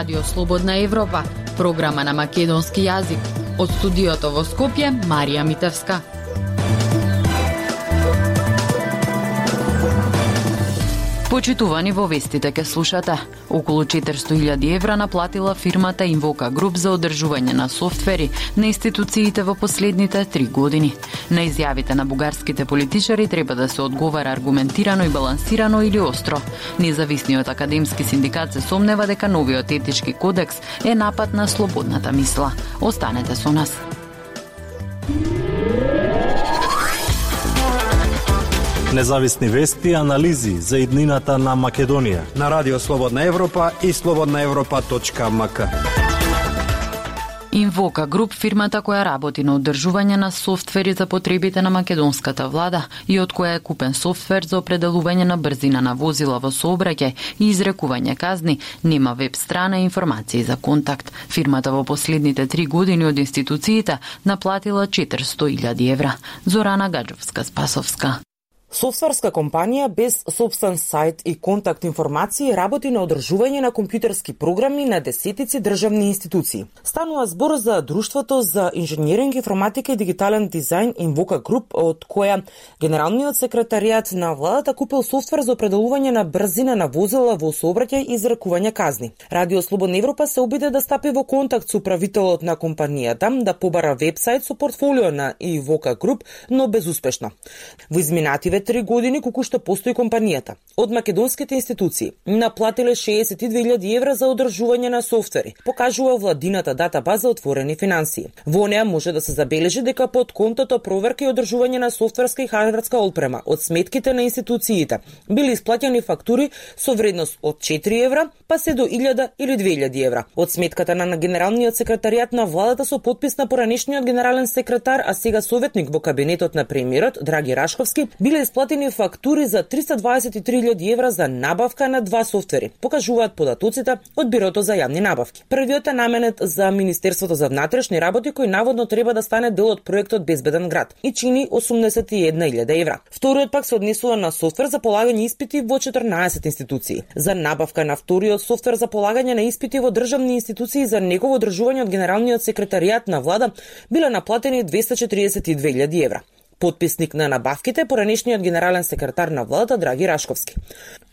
Радио Слободна Европа, програма на македонски јазик. Од студиото во Скопје, Марија Митевска. Почитувани, во вестите ке слушате. Околу 400.000 евра наплатила фирмата Invoca Group за одржување на софтвери на институциите во последните 3 години. На изјавите на бугарските политичари треба да се одговара аргументирано и балансирано или остро. Независниот академски синдикат се сомнева дека новиот етички кодекс е напад на слободната мисла. Останете со нас. Независни вести и анализи за иднината на Македонија на Радио Слободна Европа и slobodnaevropa.mk. Invoca Group, фирмата која работи на одржување на софтвери за потребите на македонската влада и од која е купен софтвер за определување на брзина на возила во сообраќај и изрекување казни, нема веб страна и информации за контакт. Фирмата во последните 3 години од институциите наплатила 400.000 евра. Зорана Гаджовска-Спасовска. Софтверска компанија без сопствен сајт и контакт информации работи на одржување на компјутерски програми на десетици државни институции. Станува збор за Друштвото за инженеринг, информатика и дигитален дизајн Invoca Group, од која генералниот секретаријат на владата купил софтвер за определување на брзина на возила во сообраќај и изрекување казни. Радио Слободна Европа се обиде да стапи во контакт со управителот на компанијата, да побара вебсајт со портфолио на Invoca Group, но безуспешно. Во изминативе 3 години колку што постои компанијата, од македонските институции наплатиле 62.000 евра за одржување на софтвери, покажува владината датабаза Отворени финансии. Во неа може да се забележи дека под контото проверка и одржување на софтверска и хардверска олпрема од сметките на институциите били исплатени фактури со вредност од 4 евра па се до 1000 или 2000 евра. Од сметката на генералниот секретаријат на владата со подпис на поранешниот генерален секретар, а сега советник во кабинетот на премиерот Драги Рашковски, биле исплатени фактури за 323.000 евра за набавка на 2 софтвери, покажуваат податоците од Бирото за јавни набавки. Првиот е наменет за Министерството за внатрешни работи, кој наводно треба да стане дел од проектот Безбеден град и чини 81.000 евра. Вториот пак се однесува на софтвер за полагање испити во 14 институции. За набавка на вториот софтвер за полагање на испити во државни институции за негово одржување од генералниот секретаријат на влада биле наплатени 242.000 евра. Подписник на набавките поранешниот генерален секретар на владата Драги Рашковски.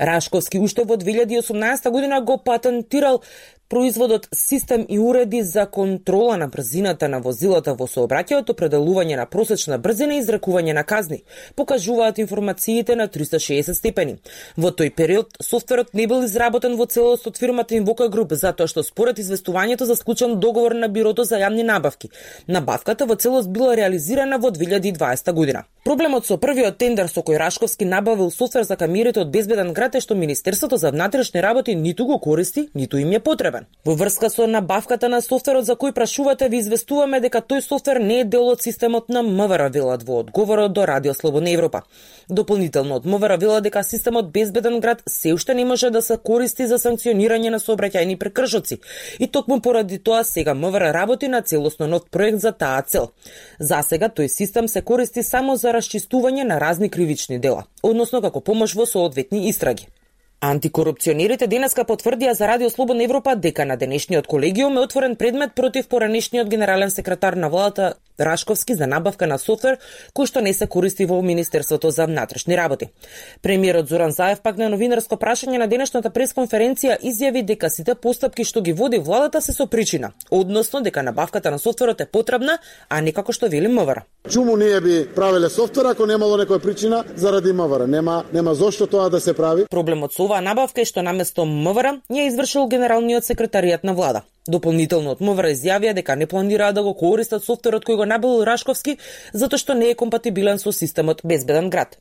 Рашковски уште во 2018 година го патентирал производот систем и уреди за контрола на брзината на возилата во сообраќајот, определување на просечна брзина и изрекување на казни, покажуваат информациите на 360 степени. Во тој период софтверот не бил изработен во целост од фирмата Invoca Group, затоа што според известувањето за склучен договор на Бирото за јавни набавки, набавката во целост била реализирана во 2020 година. Проблемот со првиот тендер со кој Рашковски набавил софтвер за камерите од Безбеден град е што Министерството за внатрешни работи ниту го користи, ниту им е потребен. Во врска со набавката на софтверот за кој прашувате, ви известуваме дека тој софтвер не е дел од системот на МВР, велат во одговорот до Радио Слободна Европа. Дополнително од МВР вела дека системот Безбеден град се уште не може да се користи за санкционирање на сообраќајни прекршоци и токму поради тоа сега МВР работи на целосно нов проект за таа цел. Засега тој систем се користи само за расчистување на разни кривични дела, односно како помош во соодветни истраги. Антикорупционерите денеска потврдија за Радио Слободна Европа дека на денешниот колегиум е отворен предмет против поранешниот генерален секретар на владата Рашковски за набавка на софтвер кој што не се користи во Министерството за внатрешни работи. Премиерот Зоран Заев пак на новинарско прашање на денешната пресконференција изјави дека сите постапки што ги води владата се со причина, односно дека набавката на софтверот е потребна, а не како што вели МВР. Чуму ние би правеле софтвер ако немало некоја причина заради МВР? Нема зошто тоа да се прави. Проблемот со оваа набавка е што наместо МВР ја извршил генералниот секретаријат на влада. Дополнително од МВР изјавија дека не планираат да го користат софтверот кој го набавил Рашковски, затоа што не е компатибилен со системот Безбеден град.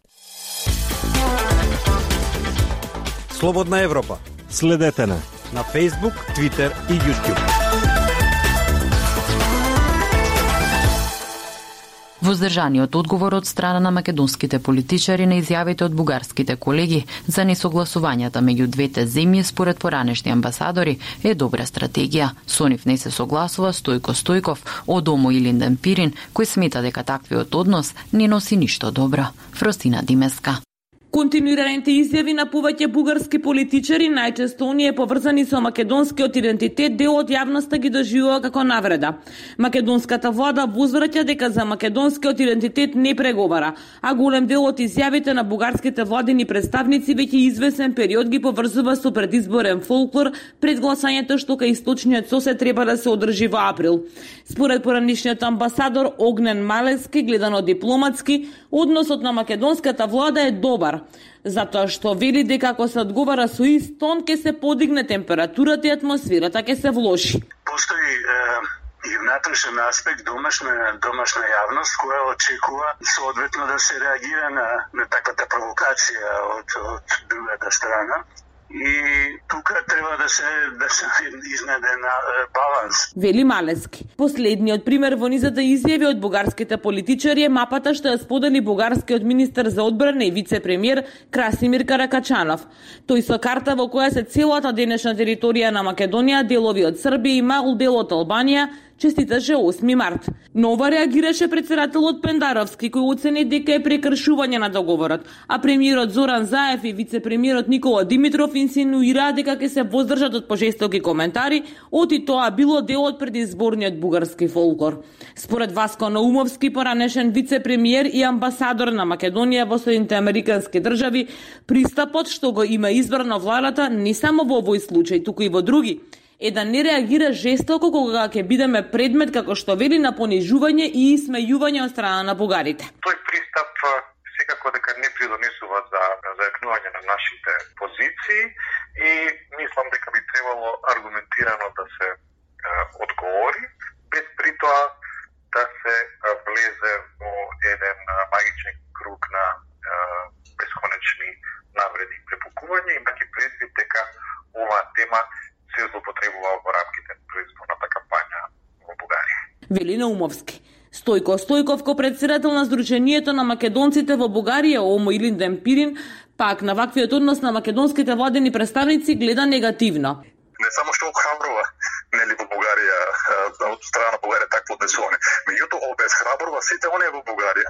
Слободна Европа. Следете на Facebook, Twitter и YouTube. Воздржаниот одговор од страна на македонските политичари на изјавите од бугарските колеги за несогласувањата меѓу двете земји според поранешни амбасадори е добра стратегија. Со нив не се согласува Стојко Стојков од ОМО и Линден Пирин, кој смета дека таквиот однос не носи ништо добро. Фростина Димеска. Континуираните изјави на повеќе бугарски политичари, најчесто оние поврзани со македонскиот идентитет, дел од јавноста ги доживува како навреда. Македонската влада возвраќа дека за македонскиот идентитет не преговара, а голем дел од изјавите на бугарските владини представници веќе извесен период ги поврзува со предизборен фолклор пред гласањето што кај источниот сосед треба да се одржи во април. Според поранишниот амбасадор Огнен Малески, гледано дипломатски, односот на македонската влада е добар, затоа што вели дека ако се одговара со ист тон, ќе се подигне температурата и атмосферата ќе се влоши. Постои и внатрешен аспект, домашна јавност која очекува соодветно да се реагира на таквата провокација од другата страна. И тука треба да се изнеде на баланс. Вели Малески. Последниот пример во низата изјави од бугарските политичари е мапата што ја сподели бугарскиот министер за одбрана и вице-премиер Красимир Каракачанов. Тој со карта во која се целата денешна територија на Македонија, делови од Србија и мал дел од Албанија, честиташе 8 март. Нова реагираше председателот Пендаровски, кој оцени дека е прекршување на договорот, а премиерот Зоран Заев и вице-премиерот Никола Димитров инсинуираа дека ќе се воздржат од пожестоки коментари, оти тоа било дел од предизборниот бугарски фолклор. Според Васко Наумовски, поранешен вице-премиер и амбасадор на Македонија во Соединените Американски држави, пристапот што го има избрано владата не само во овој случај, туку и во други, е да не реагира жестоко кога ќе бидеме предмет, како што вели, на понижување и исмејување од страна на бугарите. Тој пристап секако дека не придонесува за зајакнување на нашите позиции и мислам дека би требало аргументирано да се одговори, без притоа да се влезе во еден магичен круг на бесконечни навреди и препукување, имајќи предвид дека оваа тема се злоупотребува во рамките на предизборната кампања во Бугарија. Вели Наумовски. Стојко Стојков, председател на Сдруженијето на македонците во Бугарија, ОМО Илинден Пирин, пак на ваквиот однос на македонските владени представници гледа негативно. Не само што охрабрува нели во Бугарија, од страна на Бугарија такво однесување, меѓутоа обезхрабрува сите оние во Бугарија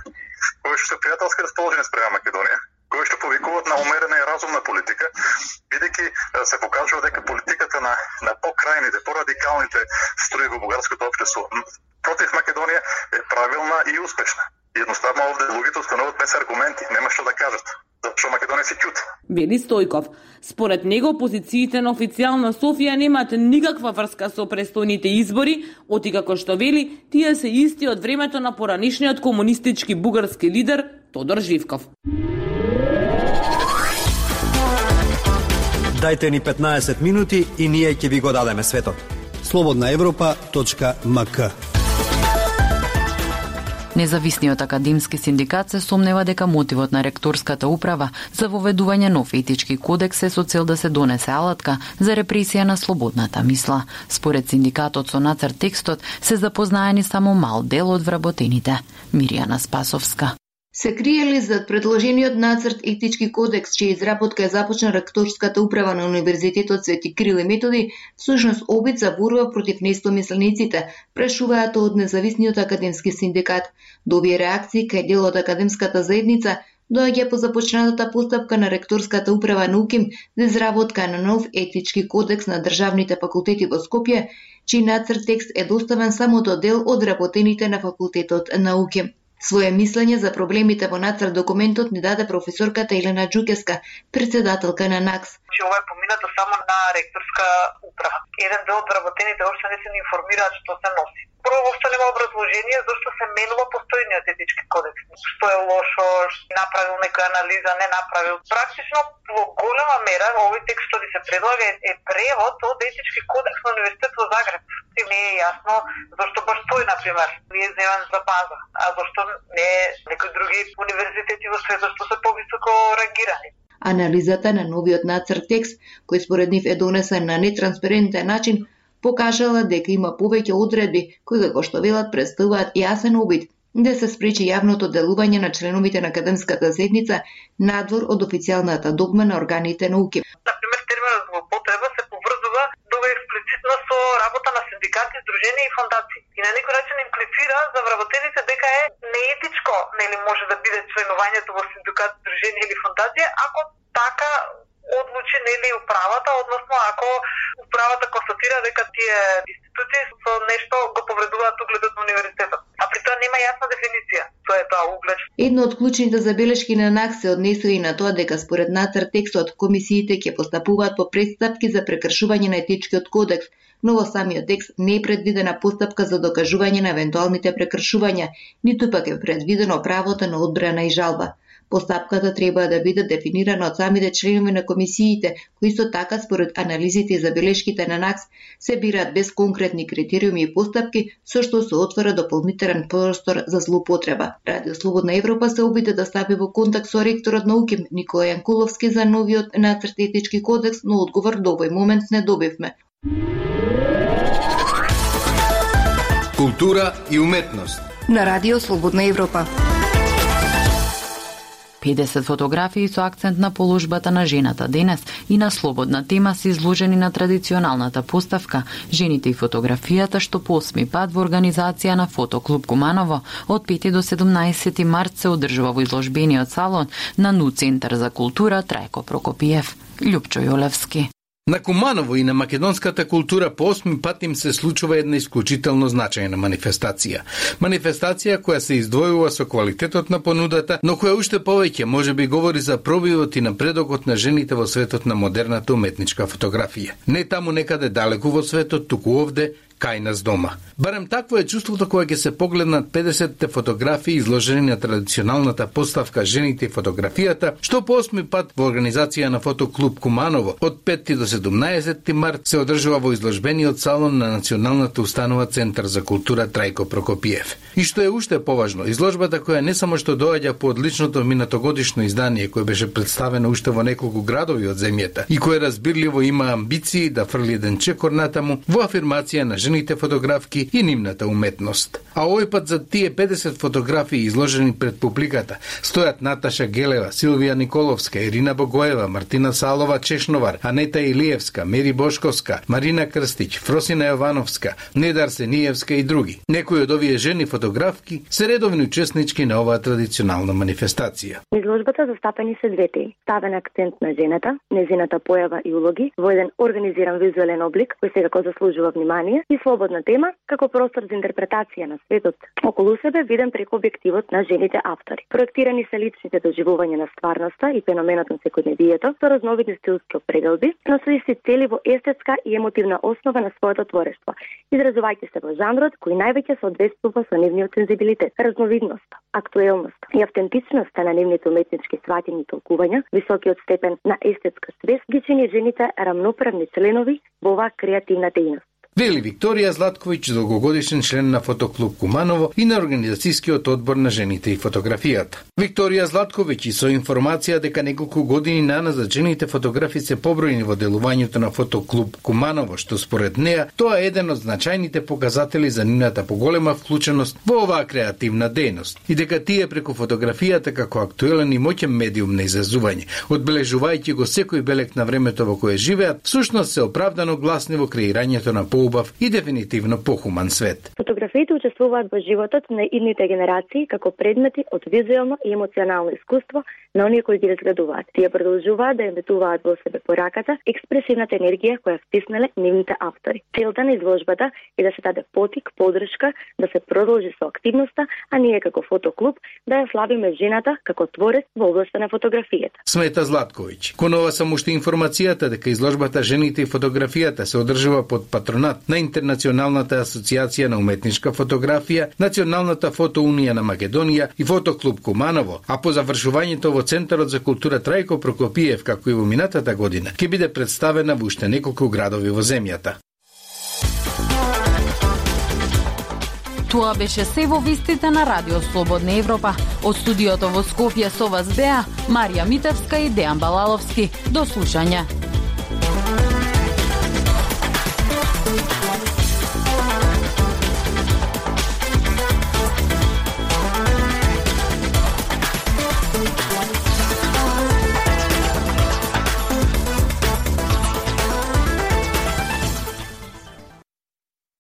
кои што се пријателски расположени спрема Македонија, кои што повикуваат на умерена и разумна политика, бидејќи се покажува дека политиката на покрајните, порадикалните струи во бугарското општество против Македонија е правилна и успешна. Едноставно овде луѓето стануваат без аргументи, нема што да кажат, зашто Македонија се ќути. Вели Стојков. Според него позициите на официјална Софија немаат никаква врска со престојните избори, оти како што вели, тие се исти од времето на поранишниот комунистички бугарски лидер Тодор Живков. Дајте ни 15 минути и ние ќе ви го дадеме светот. slobodnaevropa.mk. Независниот академски синдикат се сомнева дека мотивот на ректорската управа за воведување нов етички кодекс е со цел да се донесе алатка за репресија на слободната мисла. Според синдикатот со нацрт текстот се запознаени само мал дел од вработените. Миријана Спасовска. Се криели зад предложениот нацрт етички кодекс, чија изработка е започна ректорската управа на Универзитетот Свети Кирил и Методи, всушност обид за борба против неистомислениците, прашуваат од независниот академски синдикат. До овие реакции кај дел од академската заедница доаѓа по започнатата постапка на ректорската управа на УКИМ за изработка на нов етички кодекс на државните факултети во Скопје, чиј нацрт текст е доставен само до дел од работените на факултетот на УКИМ. Своје мислење за проблемите во нацрт документот ни даде професорката Елена Џукеска, председателка на НАКС. Ова е поминато само на ректорска управа. Еден дел од работените още не се информираат што се носи. Прво, воопшто нема образложение зашто се менува постојниот етички кодекс. Што е лошо, направил некоја анализа, не направил. Практично во голема мера овој текст што ви се предлага е превод од етички кодекс на Универзитет во Загреб. Не е јасно зашто баш тој, например, не е земен за база, а зашто не некои други универзитети во светот што се повисоко рангирани. Анализата на новиот нацрт текст, кој според нив е донесен на нетранспарентен начин, покажала дека има повеќе одредби кои, како што велат, представуваат јасен обид да се спречи јавното делување на членовите на академската заедница надвор од официјалната догма на органите на УКИМ. Например, терминот злоупотреба се поврзува до експлицитно со работа на синдикати, здруженија и фондации. И на некој начин имплицира за вработените дека е неетичко, нели може да биде членувањето во синдикат, здруженија или фондација, ако така одлучи нели управата, односно ако управата констатира дека тие институции со нешто го повредуваат угледот на универзитетот. А при тоа нема јасна дефиниција. Тоа е тоа углед. Едно од клучните забелешки на НАК се однесува и на тоа дека според нацрт текстот комисиите ќе постапуваат по претстапки за прекршување на етичкиот кодекс, но во самиот текст не е предвидена постапка за докажување на евентуалните прекршувања, ниту пак е предвидено правото на одбрана и жалба. Постапката треба да биде дефинирана од самите членови на комисиите, кои исто така според анализите и забелешките на НАКС се бираат без конкретни критериуми и постапки, со што се отвора дополнителен простор за злоупотреба. Радио Слободна Европа се обиде да стапи во контакт со ректорот на УКИМ Никола Јанкуловски за новиот нацрт етички кодекс, но одговор до овој момент не добивме. Култура и уметност на Радио Слободна Европа. 50 фотографии со акцент на положбата на жената денес и на слободна тема се изложени на традиционалната поставка Жените и фотографијата, што по 8 пат во организација на Фотоклуб Куманово од 5 до 17 март се одржува во изложбениот салон на НУ Центар за култура Трајко Прокопиев. Љупчо Јолевски. На Куманово и на македонската култура по 8 пат им се случува една исклучително значајна манифестација. Манифестација која се издвојува со квалитетот на понудата, но која уште повеќе можеби говори за пробивот и напредокот на жените во светот на модерната уметничка фотографија. Не таму некаде далеку во светот, туку овде, кај нас дома. Барем такво е чувството кога ќе се погледнат 50-те фотографии изложени на традиционалната поставка Жените и фотографијата, што по 8 пат во организација на Фотоклуб Куманово од 5 до 17 март се одржува во изложбениот салон на Националната установа Центар за култура Трајко Прокопиев. И што е уште поважно, изложбата која не само што доаѓа по одличното минатогодишно издание кој беше представено уште во неколку градови од земјата и кој разбирливо има амбиции да фрли еден чекор натаму во афирмација на жените фотографки и нивната уметност. А овој пат за тие 50 фотографии изложени пред публиката стојат Наташа Гелева, Силвија Николовска, Ирина Богоева, Мартина Салова Чешновар, Анета Илиевска, Мери Бошковска, Марина Крстич, Фросина Јовановска, Недар Сениевска и други. Некои од овие жени фотографки се редовни учеснички на оваа традиционална манифестација. Изложбата застапени се две теми. Ставен акцент на жената, незината појава и улоги во еден организиран визуелен облик кој секако заслужува внимание и слободна тема како простор за интерпретација на светот околу себе виден преку објективот на жените автори. Проектирани се личните доживувања на стварноста и феноменот на секојдневието со разновидни стилски определби, но со исти цели во естетска и емотивна основа на своето творештво, изразувајќи се во жанрот кој највеќе соодветствува со нивниот сензибилитет, разновидноста, актуелност и автентичноста на нивните уметнички сваќања и толкувања, високиот степен на естетска свест ги чини жените рамноправни членови во оваа креативна дејност. Вели Викторија Златковиќ, долгогодишен член на Фотоклуб Куманово и на организацијскиот одбор на жените и фотографијата. Викторија Златковиќ и со информација дека неколку години наназад жените фотографи се побројни во делувањето на Фотоклуб Куманово, што според неа тоа е еден од значајните показатели за нивната поголема вклученост во оваа креативна дејност и дека тие преку фотографијата како актуелен и моќен медиум на изразување, одбележувајќи го секој белек на времето во кое живеат, всушност се оправдано гласни во креирањето на поубав и дефинитивно похуман свет. Фотографиите учествуваат во животот на идните генерации како предмети од визуелно и емоционално искуство на оние кои ги разгледуваат. Тие продолжуваат да емитуваат во себе пораката, експресивната енергија која втиснале нивните автори. Целта на изложбата е да се даде потик, подршка, да се продолжи со активноста, а ние како фотоклуб да ја славиме жената како творец во областта на фотографијата. Смета Златковиќ. Кон ова само уште информацијата дека изложбата Жените и фотографијата се одржува под патронат на Интернационалната асоциација на уметничка фотографија, Националната фотоунија на Македонија и Фотоклуб Куманово, а по завршувањето во Центарот за култура Трајко Прокопиев, како и во минатата година, ќе биде представена во уште неколку градови во земјата. Тоа беше се во вестите на Радио Слободна Европа. Од студиото во Скопје со вас беа Марија Митевска и Дејан Балаловски. До слушање.